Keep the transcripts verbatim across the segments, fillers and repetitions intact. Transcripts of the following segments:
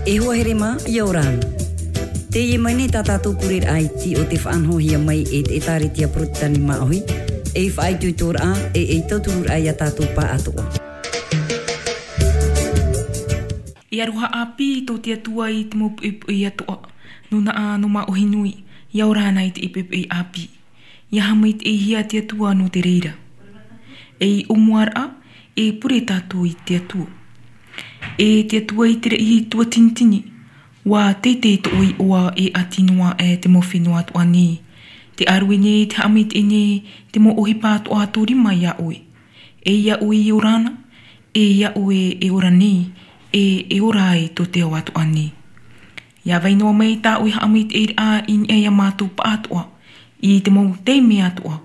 E hoa here mā, ʻia ora na. Teie mai nei tā tātou pureraʻa iti o te faʻanahohia mai e te ʻĒtārētia Porotetani Māʻohi, ei faʻaitoitoraʻa, e ei tauturuʻa ia tātou pāʻatoʻa. E aroha ʻāpī tō te Atua i te mau poʻipoʻi atoʻa, nō Naʻa, nō Māʻohi nui, ʻia ora na i te poʻipoʻi ʻāpī. ʻIa haʻamaitaʻihia te Atua nō te reira. Ei ʻōmuaraʻa, e pure tātou i te Atua. E te Atua i te reira tuatinitini, ʻua teitei tō ʻoe iʻoa e ʻati noa aʻe te mau fenua atoʻa nei. Tē ʻārue nei, tē haʻamaitaʻi nei te mau ʻohipa atoʻa tō rima ia ʻoe. E ia ʻoe e ora na, e ia ʻoe e ora nei, e e ora ai tō te ao atoʻa nei. ʻIa vai noa mai tā ʻoe haʻamaitaʻiraʻa i niʻa ia mātou pāʻatoʻa, i te mau taime atoʻa,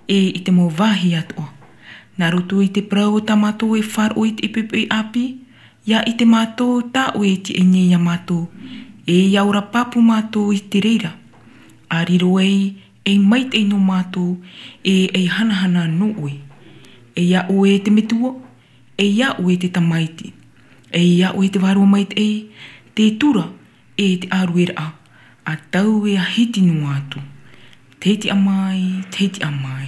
e i te mau vāhi atoʻa. Nā roto i te parau o tā mātou e faʻaroʻo i te poʻipoʻi ʻāpī, ʻia ʻite mātou tā ʻoe e tiʻa nei ia mātou, e ʻia ora pāpū mātou i te reira. ʻA riro ai ei maitaʻi nō mātou, e ei hanahana nō ʻoe. E ia ʻoe te Metua, e ia ʻoe te Tamaiti, e ia ʻoe te Vārua Maitaʻi, te tura, e te ʻārueraʻa, ʻa taua e hiti noa atu. Tei tiʻa mai, tei tiʻa mai.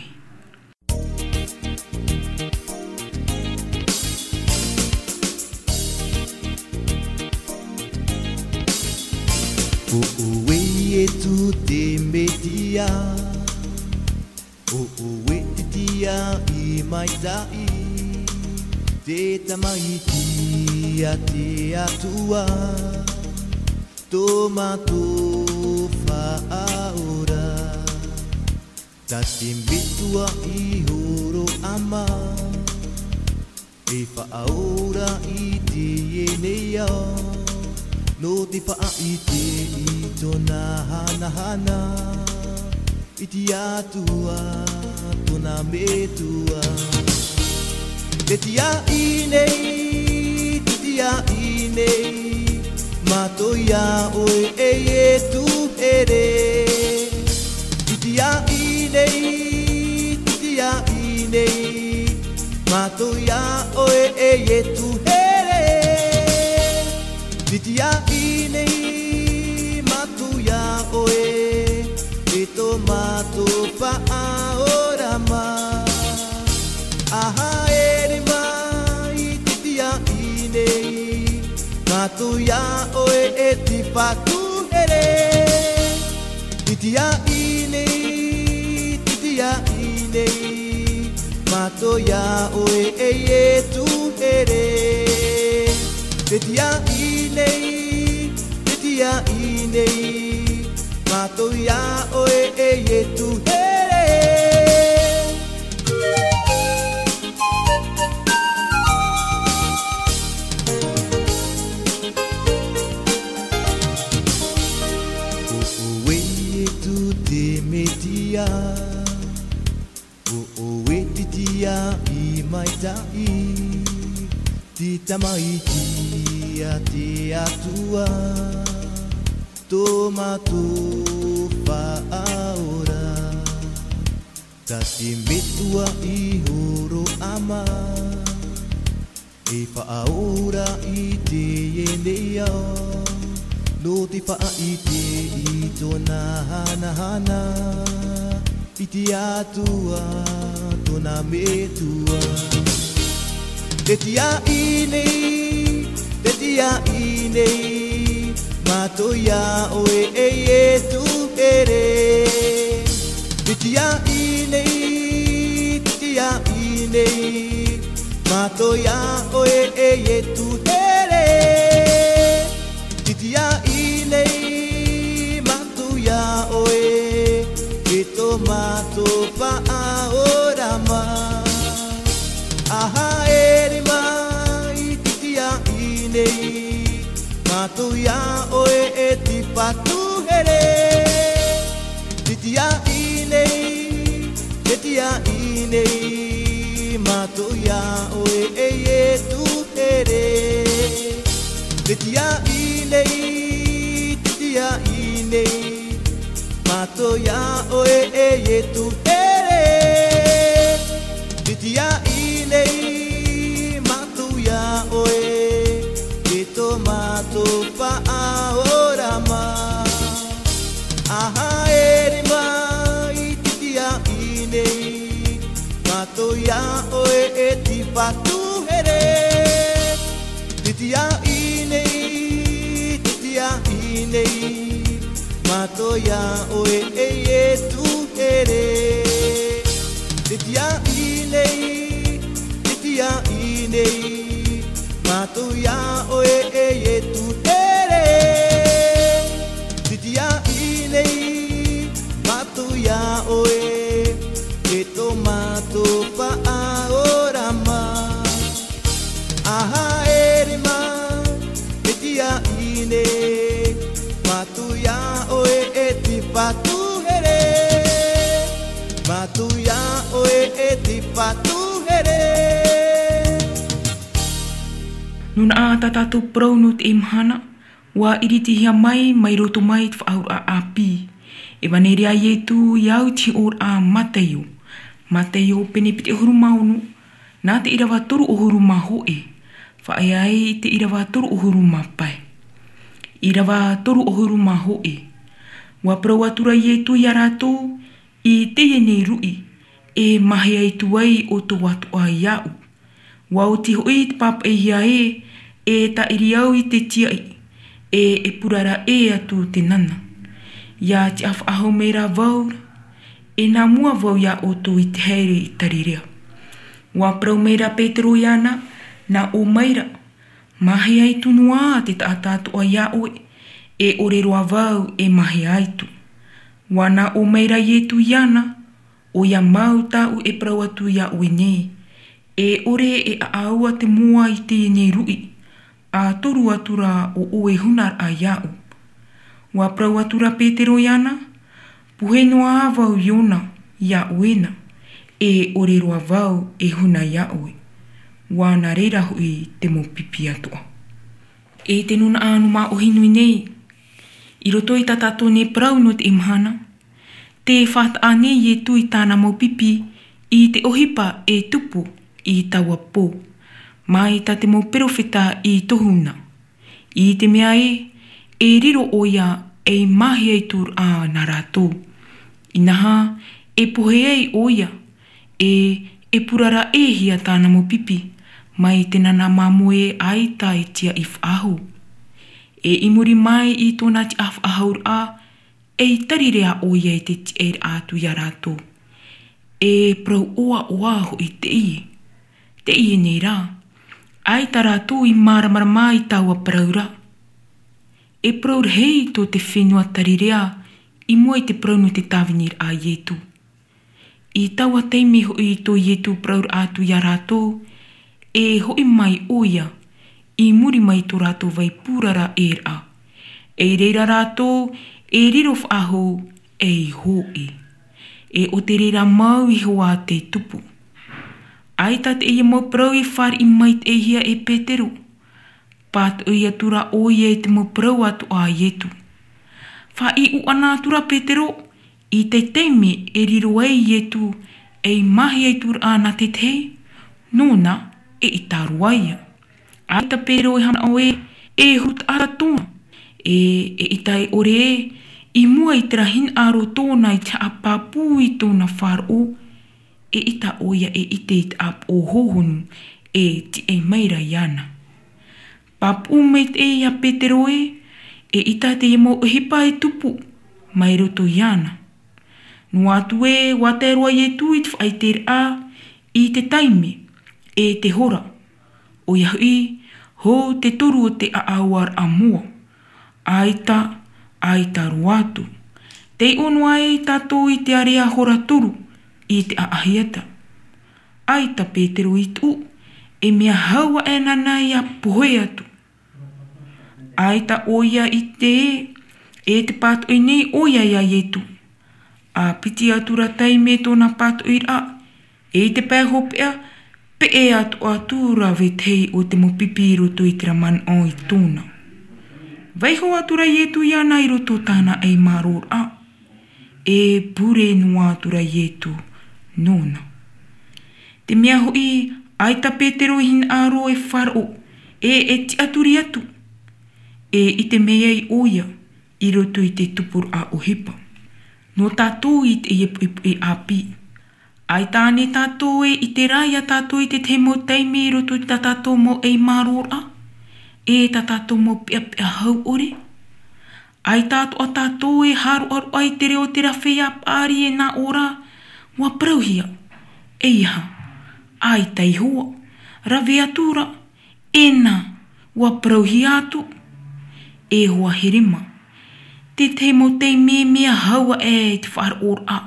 ʻO ʻoe Ietu te Mesia, ʻo ʻoe te tiaʻi maitaʻi, te Tamaiti a te Atua, tō mātou Faʻaora. Tā te Metua i hōroʻa mai, e faʻaora i teie nei ao, nō te faʻaʻite i tōna hanahana, i te Atua tōna Metua. Te tiaʻi nei, te tiaʻi nei, mātou ia ʻoe e Ietu here. Te tiaʻi nei, te tiaʻi nei, mātou ia ʻoe e Ietu here. Te tiaʻi nei, mātou ia ʻoe, e tō mātou Faʻaora mā. ʻA haere mai te tiaʻi nei, mātou ia ʻoe e te Fatu here. Te tiaʻi nei, te tiaʻi nei, mātou ia ʻoe e Ietu here. Te tiaʻi nei, te tiaʻi nei, mātou ia ʻoe e Ietu here. ʻO ʻoe Ietu te Mesia, ʻo ʻoe te tiaʻi maitaʻi, te Tamaiti a te Atua, tō mātou Faʻaora. Tā te Metua i hōroʻa mai, e faʻaora i teie nei ao, nō te faʻaʻite i tōna hanahana, i te Atua tōna Metua. Te tiaʻi nei, te tiaʻi nei, mātou ia ʻoe e Ietu here. Te tiaʻi nei, te tiaʻi nei, mātou ia ʻoe e Ietu here. Te tiaʻi nei, mātou ia ʻoe, e tō mātou Faʻaora mā. ʻA haere mai te tiaʻi nei, mātou ia ʻoe e te Fatu here. Te tiaʻi nei, te tiaʻi nei, mātou ia ʻoe e Ietu here. Te tiaʻi nei, te tiaʻi nei, mātou ia ʻoe e Ietu here. Te tiaʻi nei, mātou ia ʻoe, e tō mātou Faʻa Te tiaʻi nei, te tiaʻi nei, mātou iā ʻoe e Ietu here. Te tiaʻi nei, te tiaʻi nei, mātou iā ʻoe e Ietu here. Te tiaʻi nei, mātou iā ʻoe, e tō mātou Faʻaora mā. A haere mā, te tiaʻi nei, mātou iā ʻoe e te Fatu here. Mātou iā ʻoe e te Fatu here. Nō nā ʻā tā tātou parau nō teie mahana, ʻua iritihia mai, mai roto mai te Faʻaauraʻa ʻĀpī. Evaneria a Ietu i au i te hiʻoraʻa a Mataio. Mataio pene piti ʻahuru mā ono, nā te ʻīrava toru ʻahuru mā hōʻē, faʻaea ai te ʻīrava toru ʻahuru mā pae. ʻĪrava toru ʻahuru mā hōʻē. ʻUa parau atu ra Ietu iā rātou, i teie nei ruʻi, e māhea atu ai ʻoutou atoʻa iāʻu. ʻUa oti hoʻi te pāpaʻihia ē, e tāʻiri au i te tiaʻi, e, e purara ʻē atu te nana. ʻIa tiʻa faʻahou mai ra vau ra, e nā mua vau iā ʻoutou i te haere i Tarirea. ʻUa parau mai ra Petero iāna, nā ʻō mai ra, māhea atu noa te taʻata atoʻa iā ʻoe, e ʻore roa vau e māhea atu. ʻUa nā ʻō mai ra Ietu iāna, ʻoia mau tāʻu e parau atu iā ʻoe nei, e ʻore e ʻaʻau ā te moa i teie nei ruʻi, ʻa toru atu ra ʻo ʻoe hunaraʻa iāʻu. ʻUa parau atu ra Petero iāna, pohe noa vau Iona iā ʻoe na, e ʻore roa vau e huna iā ʻoe. ʻUa nā reira hoʻi te mau pipi atoʻa. E te nūnaʻa nō māʻohi nui nei, i roto i tā tātou nei parau nō teie mahana, tē fātaʻa nei Ietu i tāna mau pipi i te ʻohipa e tupu i taua pō, mai tā te mau perofeta i tohu na. I te mea ē, e riro ʻoia ei māhea atu ra nā rātou. Inaha, e pohe ai ʻoia, e, e purara ʻē hia tāna mau pipi, mai te nana māmoe ʻaita e tiaʻi faʻahou. E i muri mai i tōna tiʻa faʻahouraʻa, ei Tarirea ʻoia i te tiʻaraʻa atu iā rātou. E parau ʻoaʻoa hoʻi teie. Teie nei rā, ʻaita rātou i māramarama i taua parau ra. E parau rahi tō te fenua Tarirea i mua i te parau nō te tāviniraʻa a Ietu. I taua taime hoʻi tō Ietu parauraʻa atu iā rātou, e hoʻi mai ʻoia, i muri mai tō rātou vai purara ʻē ra. E i reira rātou, e riro faʻahou, ei hōʻē. E ʻo te reira mau iho ā te tupu. ʻAita teie mau parau i fāriʻi maitaʻihia e Petero. Pātoʻi atu ra ʻoia i te mau parau atoʻa a Ietu. Faʻaiʻo ʻana atu ra Petero, i te taime e riro ai Ietu, ei māhea atu ra nā te tahi, nōna, eʻita roa ia. ʻAita Petero e haʻamanaʻo ē, e huru taʻata tōna, e, eʻita e ʻore ē, i mua i terā hinaʻaro tōna i te haʻapāpū i tōna faʻaroʻo, eʻita ʻoia e ʻite i te ʻāpoʻo hōhonu, e tiʻa mai ra iāna. Pāpū maitaʻi ia Petero ē, eʻita teie mau ʻohipa e tupu, mai roto iāna. Noa atu ē, ʻua tae roa Ietu i te faʻaʻiteraʻa, i te taime, e te hora. ʻOia hoʻi, hou te toru o te ʻaʻauaraʻa moa. ʻAita, ʻaita roa atu. Tei ʻō noa ai tātou i te area hora toru, i te ʻaʻahiata. ʻAita Petero i tuʻu, e mea hau aʻe nāna ʻia pohe atu. ʻAita ʻoia i ʻite, e te pātoʻi nei ʻoia iā Ietu. ʻA piti atu ra taime tōna pātoʻiraʻa, e i te pae hopeʻa, peʻe atu atu ra vetahi o te mau pipi i roto i terā manaʻo i tōna. Vaiho atu ra Ietu iāna i roto tāna ei mārōraʻa. E pure noa atu ra Ietu nōna. Te mea hoʻi, ʻaita Petero i hinaʻaro e faʻaroʻo, e, e tiʻaturi atu. E ʻite mai ai ʻoia, i roto i te tupuraʻa ʻohipa. Nō tātou i teie poʻipoʻi ʻāpī. ʻAita ānei tātou e ʻite ra iā tātou i te tahi mau taime i roto i tā tātou mau ei mārōraʻa. e tā tātou mau peʻapeʻa hau ʻore. ʻAita atoʻa tātou e haʻaroʻaroʻa i te reo o te rāveʻa paʻari e nā ʻō ra, ʻua parauhia. ʻEiaha, ʻaita iho ā, rave atu ra, e nā, ʻua parauhia atu. E hoa here mā. Te tahi mau taime mea hau aʻe i te faʻaroʻoraʻa,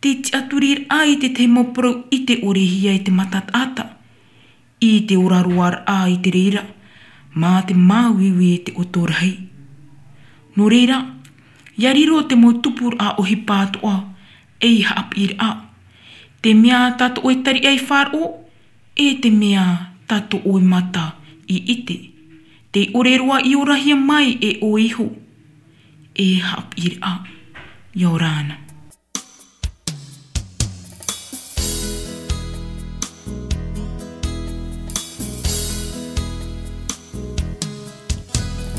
te tiʻaturiraʻa i te tahi mau parau ʻite ʻore hia i te mata taʻata, i te ora roa raʻa i te reira, mā te māuiui i te ʻoto rahi. Nō reira, ʻia riro te mau tupuraʻa ʻohipa atoʻa ei haʻapiʻiraʻa. Te mea tātou e tariʻa i faʻaroʻo, e te mea tātou e mata i ʻite. Tē ʻore roa i orahia mai e ʻoe iho, e haʻapiʻiraʻa. ʻIa ora na.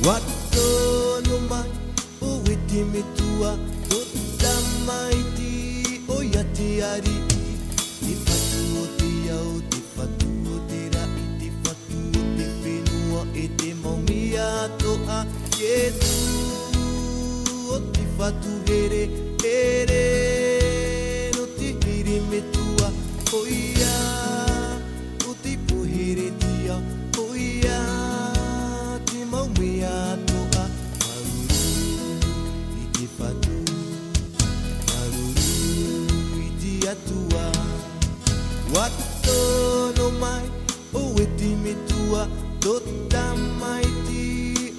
ʻUa tono mai, ʻo ʻoe te metua, tō tamaiti, ʻoia te ariʻi, te fatu o te ao, te fatu o te raʻi, te fatu o te fenua, e te mau mea atoʻa, Ietu, ʻo te fatu here, here, nō te here metua, ʻoia, ʻo te poheretia, ʻoia, te mau mea atoʻa, māuruuru i te fatu, māuruuru i te Atua. ʻUa tono mai, ʻo ʻoe te metua, tō tamaiti,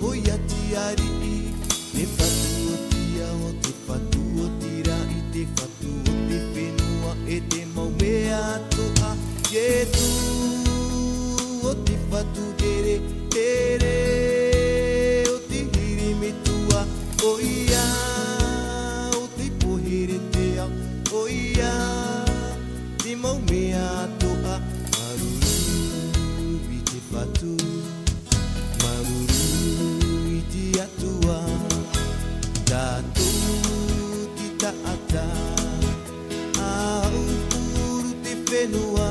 ʻoia te ariʻi, te fatu o te ao, te fatu o te raʻi, te fatu o te fenua, e te mau mea atoʻa, Ietu, ʻo te fatu here, here, ʻo te here metua, ʻoia, ʻo te poheretia, ʻoia, te mau mea atoʻa, māuruuru i te fatu, māuruuru i te Atua, tātou te taʻata, ʻa aupuru te fenua,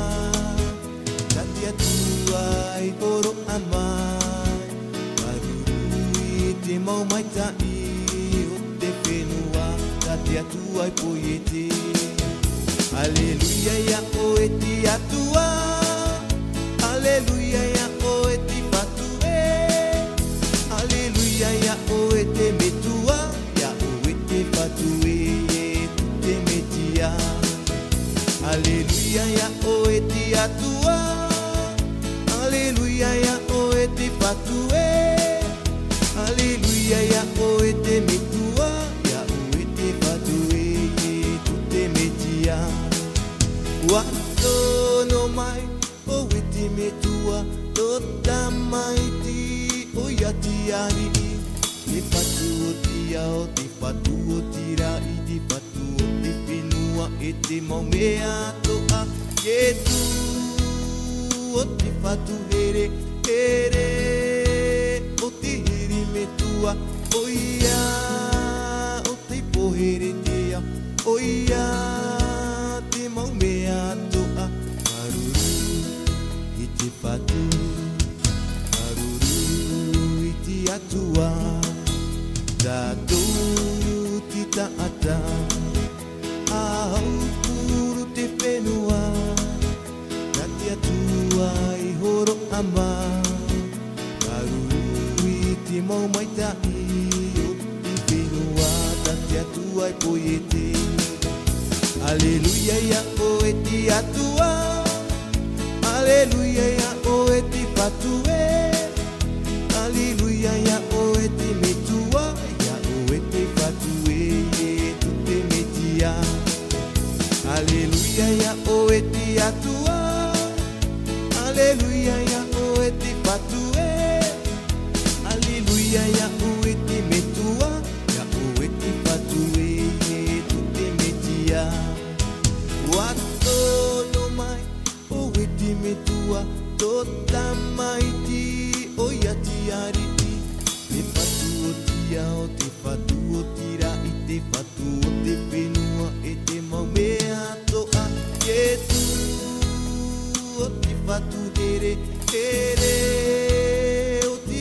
tā te Atua i hōroʻa mai, māuruuru i te mau maitaʻi o te fenua, tā te Atua i poiete. Aleluia, ʻia ʻoe te Atua. Aleluia, ʻia ʻoe te fatu ē. Aleluia, ʻia ʻoe te metua. ʻIa ʻoe te fatu ē, e tū te Metia. Aleluia, ʻia ʻoe te Atua. Aleluia, ʻia ʻoe te fatu ē. Aleluia, ʻia ʻoe te metua, ʻia ʻoe te fatu ē, e tū te Metia. ʻUa tono mai, ʻo ʻoe te metua, tō tamaiti, ʻoia te ariʻi, te fatu o te ao, te fatu o te raʻi, te fatu o te fenua, e te mau mea atoʻa, Ietu, ʻo te fatu here, here, ʻo te here metua, ʻoia, ʻo te poheretia, ʻoia, te mau mea atoʻa, māuruuru i te fatu, māuruuru i te Atua, tātou te taʻata, ʻa aupuru te fenua, tā te Atua i hōroʻa mai, māuruuru i te mau maitaʻi o te fenua, tā te Atua i poiete. Aleluia, ʻia ʻoe te Atua. Aleluia, ʻia ʻoe te fatu ē. Aleluia, ʻia ʻoe te metua. ʻIa ʻoe te fatu ē, e tū te Metia. Aleluia, ʻia ʻoe te Atua. Aleluia, ʻia ʻoe te fatu ē. Aleluia, ʻia ʻoe te metua. ʻIa ʻoe te fatu ē, e tū te Metia. ʻUa tono mai, ʻo ʻoe te metua, tō tamaiti, ʻoia te ariʻi, te fatu o te ao, te fatu o te raʻi, te fatu o te fenua, e te mau mea atoʻa, Ietu, ʻo te fatu here, here, ʻo te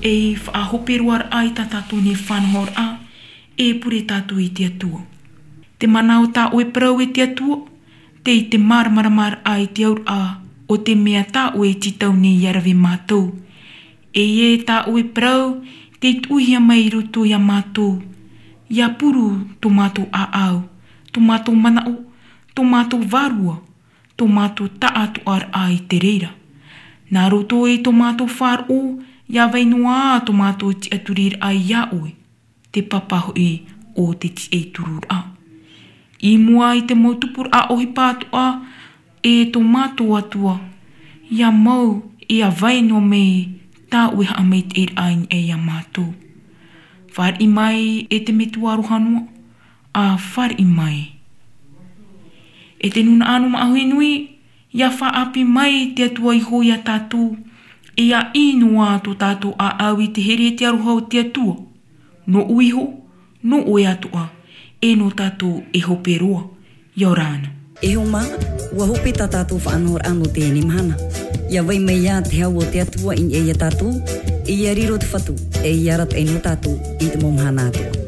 E faʻahope roa raʻa i tā tātou nei faʻanahoraʻa, e pure tātou i te Atua. Te mana o tā ʻoe parau e te Atua, tei te māramarama raʻa i te auraʻa o te mea tā ʻoe e tītau nei ʻia rave mātou. E ia tā ʻoe parau, tei tuʻuhia mai i roto iā mātou. ʻIa puru tō mātou ʻāʻau, tō mātou manaʻo, tō mātou vārua, tō mātou taʻatoʻaraʻa i te reira. Nā roto i tō mātou faʻaroʻo, ʻia vai noa ā tō mātou tiʻaturiraʻa iā ʻoe, te papa hoʻi o te tiʻaturiraʻa. I mua i te mau tupuraʻa ʻohipa atoʻa, e tō mātou Atua, ʻia mau, ʻia vai noa mai tā ʻoe haʻamaitaʻiraʻa i niʻa iā mātou. Fāriʻi mai e te Metua aroha noa, ʻa fāriʻi mai. E te nūnaʻa nō Maʻahoʻi nui, ʻia faʻaʻapi mai te Atua iho iā tātou, e ʻia ʻī noa tō tātou ʻāʻau i te here e te aroha o te Atua. Nōʻu iho, nō ʻoe atoʻa, e nō tātou e hope roa, ʻia ora na. E hoa mā, ʻua hope tā tātou faʻanahoraʻa nō teie mahana. ʻIa vai mai ā te hau o te Atua i niʻa iā tātou, e ʻia riro te Fatu, e ʻia arataʻi nō tātou i te mau mahana atoʻa.